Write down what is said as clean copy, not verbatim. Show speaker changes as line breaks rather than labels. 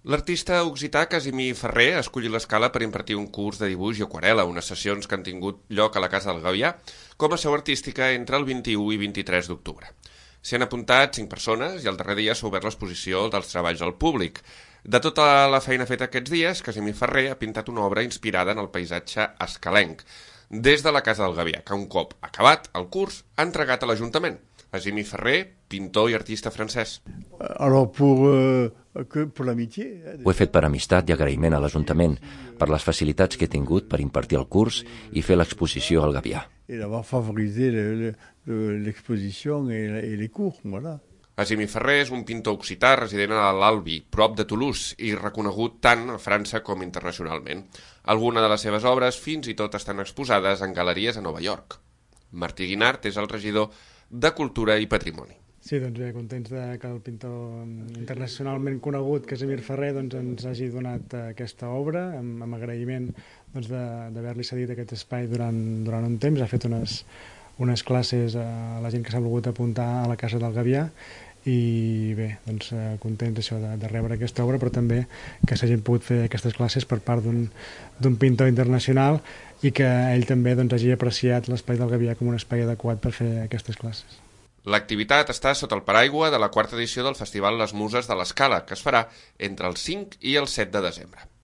L'artista occità Casimir Ferrer ha escollit l'Escala per impartir un curs de dibuix i aquarel·la, unes sessions que han tingut lloc a la Casa del Gavià com a seu artística entre el 21 i 23 d'octubre. S'hi han apuntat 5 persones i el darrer dia s'ha obert l'exposició dels treballs al públic. De tota la feina feta aquests dies, Casimir Ferrer ha pintat una obra inspirada en el paisatge escalenc, des de la Casa del Gavià, que un cop acabat el curs ha entregat a l'Ajuntament. Casimir Ferrer, pintor i artista francès.
Ho he fet per amistat i agraïment a l'Ajuntament, per les facilitats que he tingut per impartir el curs i fer l'exposició al Gavià.
Casimir Ferrer és un pintor occità resident a l'Albi, prop de Toulouse, i reconegut tant a França com internacionalment. Algunes de les seves obres fins i tot estan exposades en galeries a Nova York. Martí Guinart és el regidor de Cultura i Patrimoni.
Sí, doncs bé, contents que el pintor internacionalment conegut Casimir Ferrer ens hagi donat aquesta obra, amb agraïment d'haver-li cedit aquest espai durant un temps. Ha fet unes classes a la gent que s'ha volgut apuntar a la Casa del Gavià i bé, doncs contents això de rebre aquesta obra, però també que s'hagin pogut fer aquestes classes per part d'un pintor internacional i que ell també hagi apreciat l'espai del Gavià com un espai adequat per fer aquestes classes.
L'activitat està sota el paraigua de la 4ª edició del Festival Les Muses de l'Escala, que es farà entre el 5 i el 7 de desembre.